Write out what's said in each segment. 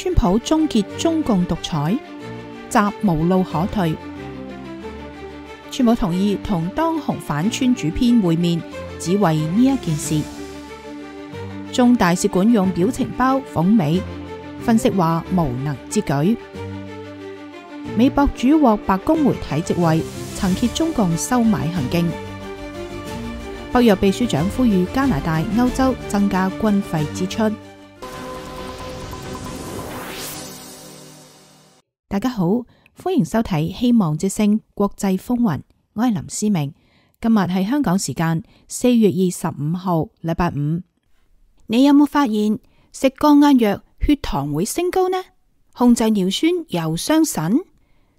川普終結中共獨裁，習無路可退。川普同意同當紅反川主編會面，只為呢一件事。中大使館用表情包諷美，分析話無能之舉。美博主獲白宮媒體席位，曾揭中共收買行徑。北約秘書長呼籲加拿大、歐洲增加軍費支出。大家好，歡迎收睇《希望之聲國際風雲》，我係林思明。今日係香港時間4月25號，禮拜五。你有冇發現食降壓藥血糖會升高呢？控制尿酸又傷腎？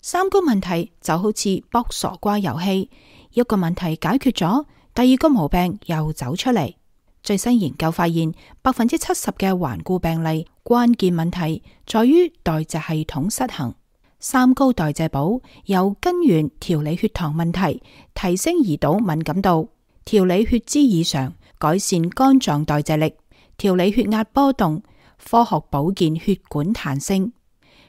三高問題就好似卜傻瓜遊戲，一個問題解決咗，第二個毛病又走出嚟。最新研究發現，70%嘅頑固病例關鍵問題在於代謝系統失衡。三高代謝寶由根源調理血糖問題，提升胰島敏感度，調理血脂異常，改善肝臟代謝力，調理血壓波動，科學保健血管彈性，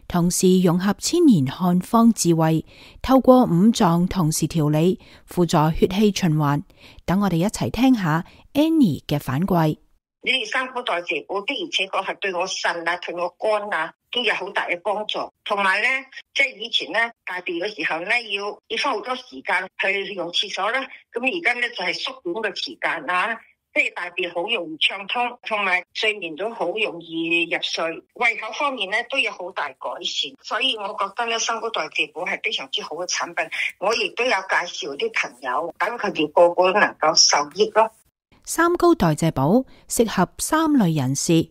同時融合千年漢方智慧，透過五臟同時調理，輔助血氣循環。等我哋一齊聽下 Annie 嘅反饋。你哋三高代謝寶的而且確係對我腎啊、對我肝啊都有好大嘅幫助。同埋咧，即係以前咧大便嘅時候咧，要花好多時間去用廁所啦。咁而家咧就係縮短嘅時間啊，即係大便好容易暢通，同埋睡眠都好容易入睡。胃口方面咧都有好大改善，所以我覺得咧三高代謝寶係非常之好嘅產品。我亦都有介紹啲朋友，等佢哋個個都能夠受益咯。三高代謝寶適合三類人士：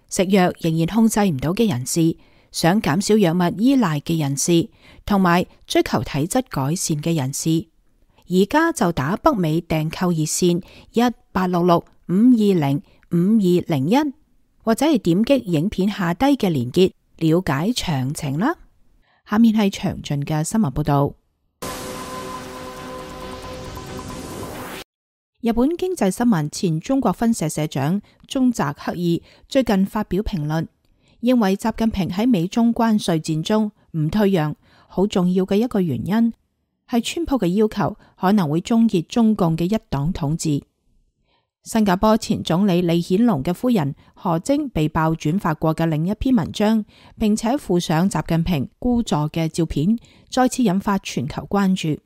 食藥仍然控制唔到嘅人士，想減少藥物依賴嘅人士，同埋追求體質改善嘅人士。而家就打北美訂購熱線1866-520-5201，或者係點擊影片下低嘅連結了解詳情啦。下面係詳盡嘅新聞報道。日本經濟新聞前中國分社社長中澤克二最近發表評論，認為習近平喺美中關稅戰中唔退讓，好重要嘅一個原因係川普嘅要求可能會終結中共嘅一黨統治。新加坡前總理李顯龍嘅夫人何晶被爆轉發過嘅另一篇文章，並且附上習近平孤坐嘅照片，再次引發全球關注。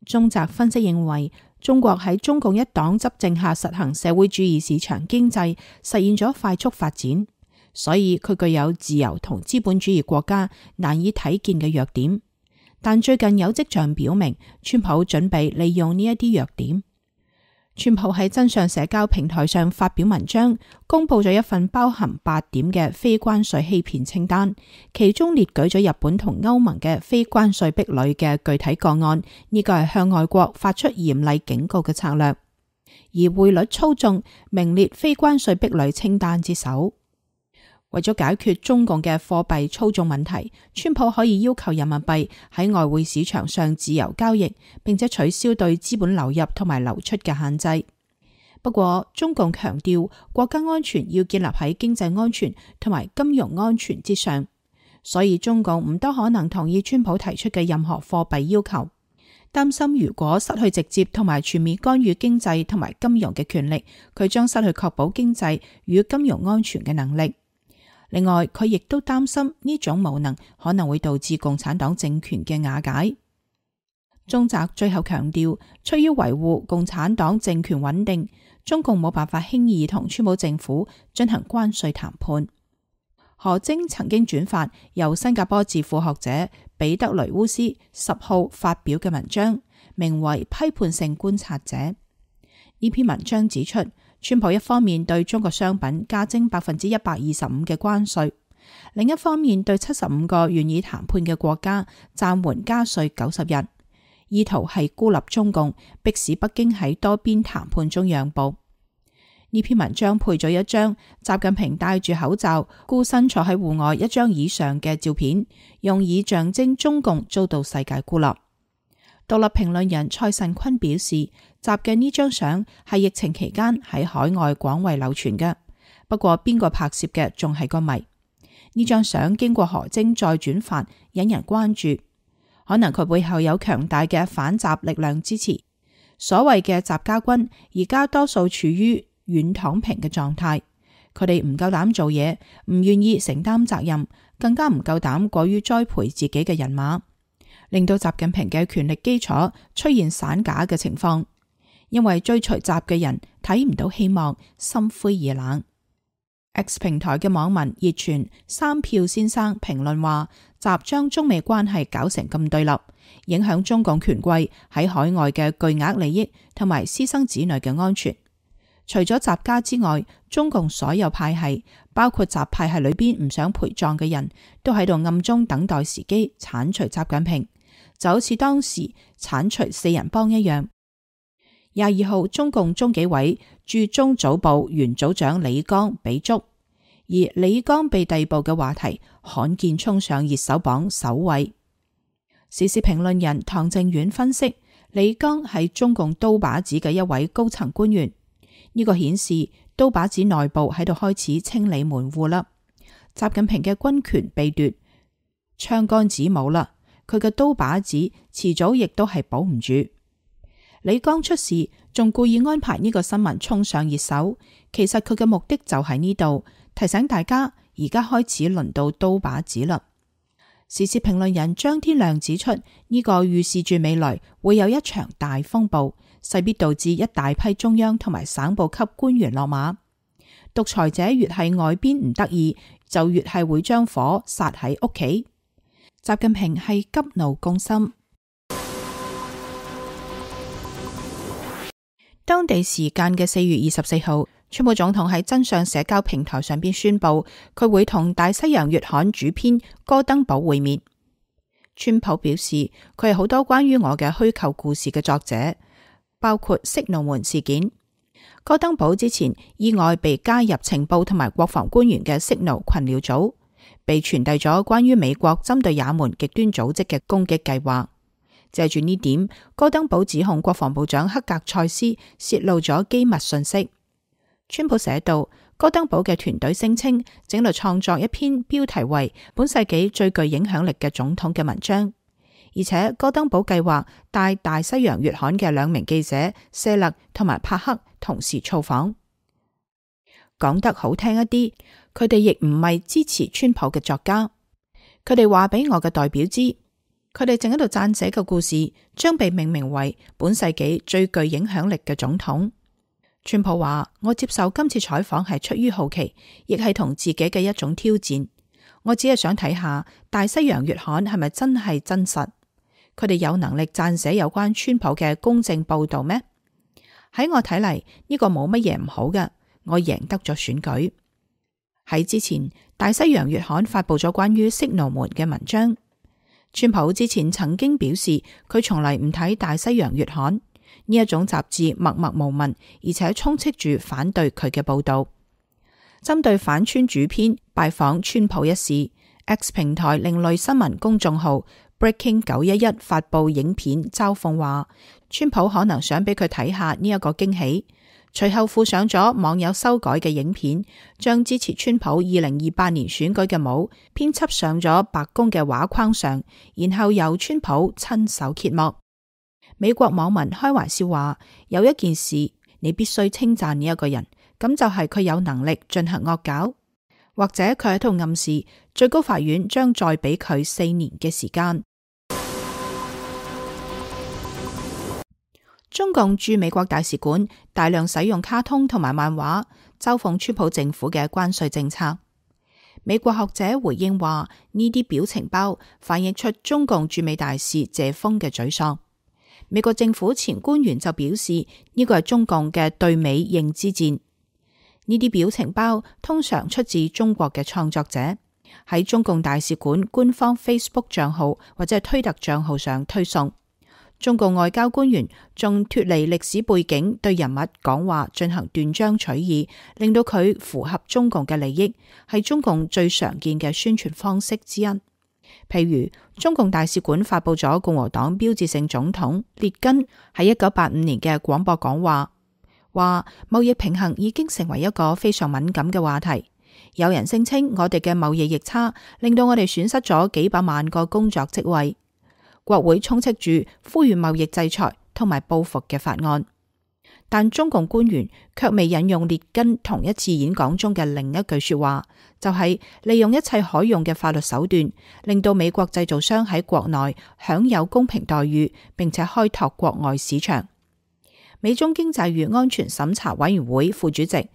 中澤分析認為，中國喺中共一黨執政下實行社會主義市場經濟，實現咗快速發展，所以佢具有自由同資本主義國家難以睇見嘅弱點。但最近有跡象表明，川普準備利用呢一啲弱點。川普喺真相社交平台上發表文章，公布咗一份包含8點嘅非關稅欺騙清單，其中列舉咗日本同歐盟嘅非關稅壁壘嘅具體個案，呢個係向外國發出嚴厲警告嘅策略。而匯率操縱名列非關稅壁壘清單之首。為咗解決中共嘅貨幣操縱問題，川普可以要求人民幣喺外匯市場上自由交易，並且取消對資本流入同埋流出嘅限制。不過，中共強調國家安全要建立喺經濟安全同埋金融安全之上，所以中共唔多可能同意川普提出嘅任何貨幣要求。擔心如果失去直接同埋全面干預經濟同埋金融嘅權力，佢將失去確保經濟與金融安全嘅能力。另外，佢亦都擔心呢種無能可能會導致共產黨政權嘅瓦解。中澤最後強調，出於維護共產黨政權穩定，中共冇辦法輕易同川普政府進行關稅談判。何晶曾經轉發由新加坡智庫學者彼得雷烏斯10號發表嘅文章，名為《批判性觀察者》。呢篇文章指出，川普一方面對中國商品加徵125%嘅關稅，另一方面對75個願意談判嘅國家暫緩加稅90日，意圖係孤立中共，迫使北京喺多邊談判中讓步。呢篇文章配咗一張習近平戴住口罩孤身坐喺戶外一張椅上嘅照片，用以象徵中共遭到世界孤立。獨立評論人蔡慎坤表示，習嘅呢張相係疫情期間喺海外廣為流傳嘅，不過邊個拍攝嘅仲係個謎。呢張相經過何晶再轉發，引人關注。可能佢背後有強大嘅反習力量支持。所謂嘅習家軍而家多數處於軟躺平嘅狀態，佢哋唔夠膽做嘢，唔願意承擔責任，更加唔夠膽過於栽培自己嘅人馬，令到習近平嘅權力基礎出現散架嘅情況。因為追隨習嘅人睇唔到希望，心灰意冷。X 平台嘅網民熱傳三票先生評論話，習將中美關係搞成咁對立，影響中共權貴喺海外嘅巨額利益同埋私生子女嘅安全。除咗習家之外，中共所有派系，包括習派系裏邊唔想陪葬嘅人都喺度暗中等待時機鏟除習近平，就好似當時鏟除四人幫一樣。22號，中共中紀委駐中組部原組長李剛被捉，而李剛被逮捕嘅話題罕見衝上熱搜榜首位。時事評論人唐正遠分析，李剛係中共刀把子嘅一位高層官員，呢個顯示刀把子內部喺度開始清理門戶啦。習近平嘅軍權被奪，槍桿子冇啦，佢嘅刀把子遲早亦都係保唔住。李剛出事，仲故意安排呢個新聞衝上熱搜，其實佢嘅目的就喺呢度，提醒大家而家開始輪到刀把子啦。時事評論人張天亮指出，呢個預示住未來會有一場大風暴，勢必導致一大批中央同埋省部級官員落馬。獨裁者越係外邊唔得意，就越係會將火撒喺屋企。習近平係急怒攻心。當地時間嘅4月24號，川普總統喺真相社交平台上邊宣布，佢會同大西洋月刊主編戈登堡會面。川普表示，佢係好多關於我嘅虛構故事嘅作者，包括色奴門事件。戈登堡之前意外被加入情報同埋國防官員嘅色奴群聊組，被傳遞咗關於美國針對也門極端組織嘅攻擊計劃。借住呢點，戈登堡指控國防部長克格塞斯洩露咗機密信息。川普寫道，戈登堡嘅團隊聲稱正在創作一篇標題為《本世紀最具影響力嘅總統》嘅文章，而且戈登堡計劃帶大西洋月刊嘅2名記者謝勒同埋帕克同時造訪。講得好聽一啲，佢哋亦唔係支持川普嘅作家，佢哋話俾我嘅代表知，佢哋正喺度撰寫嘅故事將被命名為本世紀最具影響力嘅總統。川普話，我接受今次採訪係出於好奇，亦係同自己嘅一種挑戰。我只係想睇下大西洋月刊係咪真係真實，佢哋有能力撰寫有關川普嘅公正報道咩？喺我睇嚟，呢個冇乜嘢唔好嘅，我贏得咗選舉。喺之前，大西洋月刊發佈咗關於色奴門嘅文章。川普之前曾經表示，佢從嚟唔睇大西洋月刊呢一種雜誌，默默無聞，而且充斥住反對佢嘅報道。針對反川主編拜訪川普一事， X 平台另類新聞公眾號 Breaking 911發佈影片嘲諷話，川普可能想俾佢睇下呢一個驚喜。隨後附上咗網友修改嘅影片，將支持川普2028年選舉嘅帽編輯上咗白宮嘅畫框上，然後由川普親手揭幕。美國網民開玩笑話，有一件事你必須稱讚呢一個人，咁就係佢有能力進行惡搞，或者佢喺度暗示最高法院將再俾佢4年嘅時間。中共駐美國大使館大量使用卡通同埋漫畫，嘲諷川普政府嘅關稅政策。美國學者回應話，呢啲表情包反映出中共駐美大使謝鋒嘅沮喪。美國政府前官員就表示，呢個係中共嘅對美認知戰。呢啲表情包通常出自中國嘅創作者，喺中共大使館官方 Facebook 賬號或者係推特賬號上推送。中共外交官員仲脫離歷史背景，對人物講話進行斷章取義，令到佢符合中共嘅利益，係中共最常見嘅宣傳方式之一。譬如中共大使館發佈咗共和黨標誌性總統列根喺1985年嘅廣播講話，話貿易平衡已經成為一個非常敏感嘅話題，有人聲稱我哋嘅貿易逆差令到我哋損失咗幾百萬個工作職位。國會充斥住呼籲貿易制裁同埋報復嘅法案，但中共官員卻未引用列根同一次演講中嘅另一句說話，就係利用一切可用嘅法律手段，令到美國製造商喺國內享有公平待遇，並且開拓國外市場。美中經濟與安全審查委員會副主席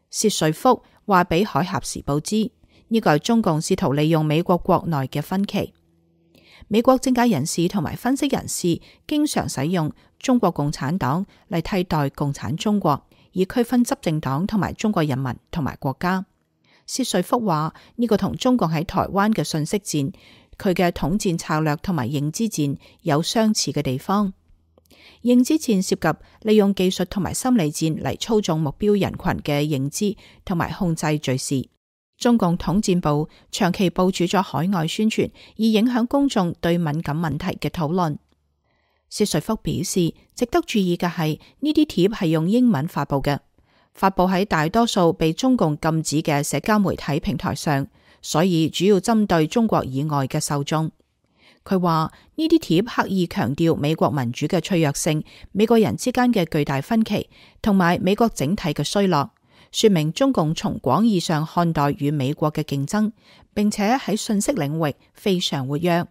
薛瑞福話俾《海峽時報》知，呢個係中共試圖利用美國國內嘅分歧。美國政界人士同埋分析人士經常使用中國共產黨嚟替代共產中國，以區分執政黨同埋中國人民同埋國家。薛瑞福話呢個同中共喺台灣嘅信息戰、佢嘅統戰策略同埋認知戰有相似嘅地方。認知戰涉及利用技術同埋心理戰嚟操縱目標人群嘅認知同埋控制敘事。中共統戰部長期部署咗海外宣傳，以影響公眾對敏感問題嘅討論。薛瑞福表示，值得注意嘅係呢啲貼係用英文發布嘅，發布喺大多數被中共禁止嘅社交媒體平台上，所以主要針對中國以外嘅受眾。佢話呢啲貼刻意強調美國民主嘅脆弱性、美國人之間嘅巨大分歧，同埋美國整體嘅衰落，說明中共從廣義上看待與美國嘅競爭，並且喺信息領域非常活躍。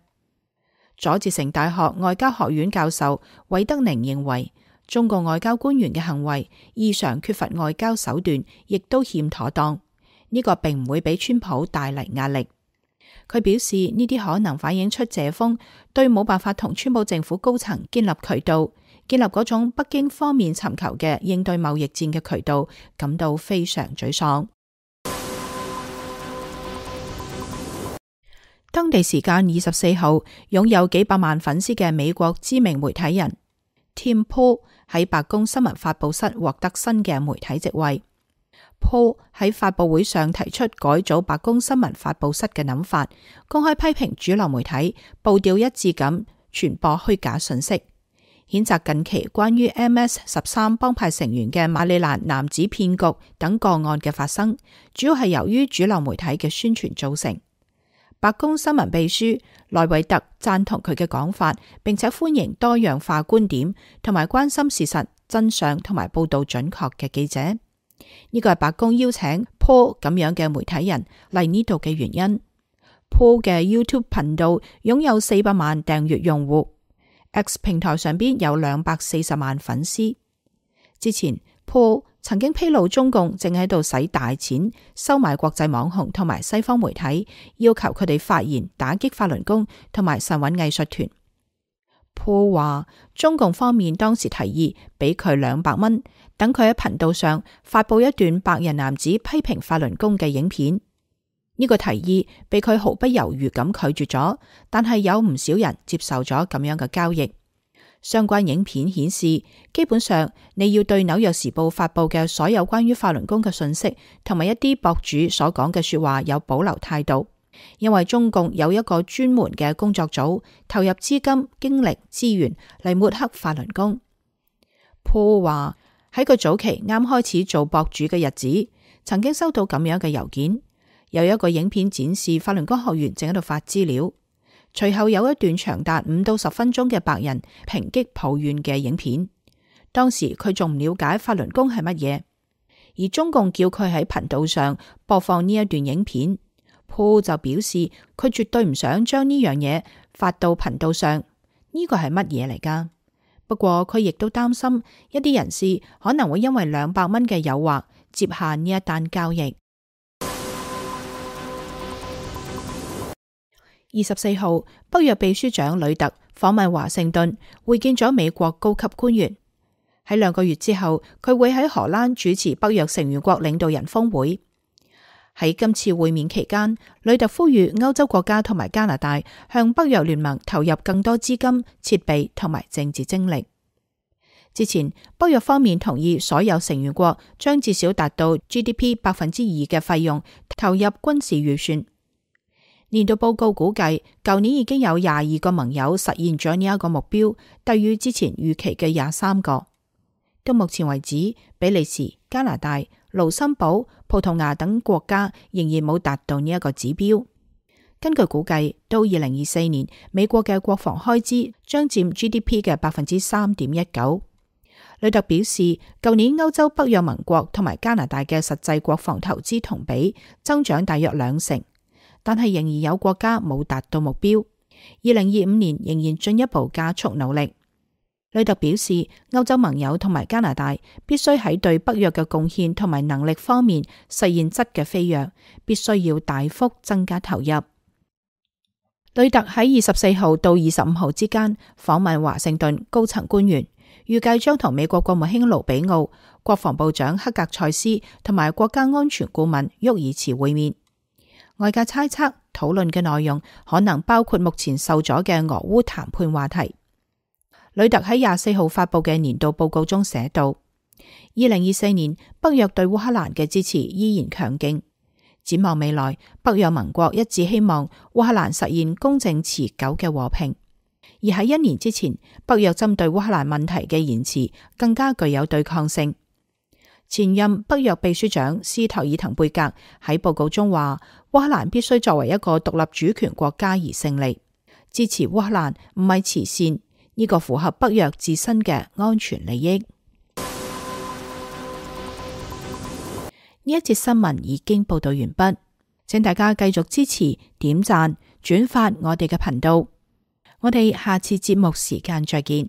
佐治城大學外交學院教授韋德寧認為，中共外交官員嘅行為異常缺乏外交手段，亦都欠妥當。呢個並唔會俾川普帶嚟壓力。佢表示呢啲可能反映出謝鋒對冇辦法同川普政府高層建立渠道，建立嗰種北京方面尋求嘅應對貿易戰嘅渠道，感到非常沮喪。當地時間24號，擁有幾百萬粉絲嘅美國知名媒體人 Tim Pool 喺白宮新聞發佈室獲得新嘅媒體職位。Pool 喺發佈會上提出改組白宮新聞發佈室嘅諗法，公開批評主流媒體步調一致咁傳播虛假信息，譴責近期關於 MS-13 幫派成員嘅馬里蘭男子騙局等個案嘅發生，主要係由於主流媒體嘅宣傳造成。白宮新聞秘書萊維特贊同佢嘅講法，並且歡迎多樣化觀點同埋關心事實真相同埋報道準確嘅記者。呢個係白宮邀請 Paul 咁樣嘅媒體人嚟呢度嘅原因。Paul 嘅 YouTube 頻道擁有400萬訂閱用戶， X 平台上邊有240萬粉絲。之前 Paul 曾經披露中共正喺度使大錢收買國際網紅同埋西方媒體，要求佢哋發言打擊法輪功同埋神韻藝術團。Paul 話中共方面當時提議俾佢200蚊，等佢喺頻道上發佈一段白人男子批評法輪功嘅影片。呢個提議被佢毫不猶豫咁拒絕咗，但係有唔少人接受咗咁樣嘅交易。相關影片顯示，基本上你要對紐約時報發佈嘅所有關於法輪功嘅信息，同埋一啲博主所講嘅說話有保留態度。因為中共有一個專門嘅工作組，投入資金、精力、資源嚟抹黑法輪功。Paul 話喺佢早期啱開始做博主嘅日子，曾經收到咁樣嘅郵件，有一個影片展示法輪功學員正喺度發資料，隨後有一段長達5到10分鐘嘅白人抨擊抱怨嘅影片。當時佢仲唔了解法輪功係乜嘢，而中共叫佢喺頻道上播放呢一段影片。Paul 就表示佢絕對唔想將呢樣嘢發到頻道上，呢個係乜嘢嚟㗎？不過佢亦都擔心一啲人士可能會因為200蚊嘅誘惑接下呢一單交易。24號，北約秘書長呂特訪問華盛頓，會見咗美國高級官員。喺2個月之後，佢會喺荷蘭主持北約成員國領導人峰會。喺今次會面期間，呂特呼籲歐洲國家同埋加拿大向北約聯盟投入更多資金、設備同埋政治精力。之前，北約方面同意所有成員國將至少達到 GDP 2% 嘅費用投入軍事預算。年度報告估計，舊年已經有22個盟友實現咗呢一個目標，低於之前預期嘅23個。到目前為止，比利時、加拿大、盧森堡、葡萄牙等國家仍然冇達到呢一個指標。根據估計，到2024年，美國嘅國防開支將佔 GDP 嘅 3.19%。呂特表示，舊年歐洲北約盟國同埋加拿大嘅實際國防投資同比增長大約2%，但係仍然有國家冇達到目標。2025年仍然進一步加速努力。呂特表示，歐洲盟友同埋加拿大必須喺對北約嘅貢獻同埋能力方面實現質嘅飛躍，必須要大幅增加投入。呂特喺24號到25號之間訪問華盛頓高層官員，預計將同美國國務卿盧比奧、國防部長克格塞斯同埋國家安全顧問沃爾茨會面。外界猜測討論嘅內容可能包括目前受阻嘅俄烏談判話題。呂特喺24號發佈嘅年度報告中寫道，2024年北約對烏克蘭嘅支持依然強勁。展望未來，北約盟國一致希望烏克蘭實現公正持久嘅和平。而喺1年之前，北約針對烏克蘭問題嘅言辭更加具有對抗性。前任北約秘書長斯托爾滕貝格喺報告中話，烏克蘭必須作為一個獨立主權國家而勝利。支持烏克蘭唔係慈善，呢個符合北約自身嘅安全利益。呢一節新聞已經報道完畢，請大家繼續支持、點讚、轉發我哋嘅頻道。我哋下次節目時間再見。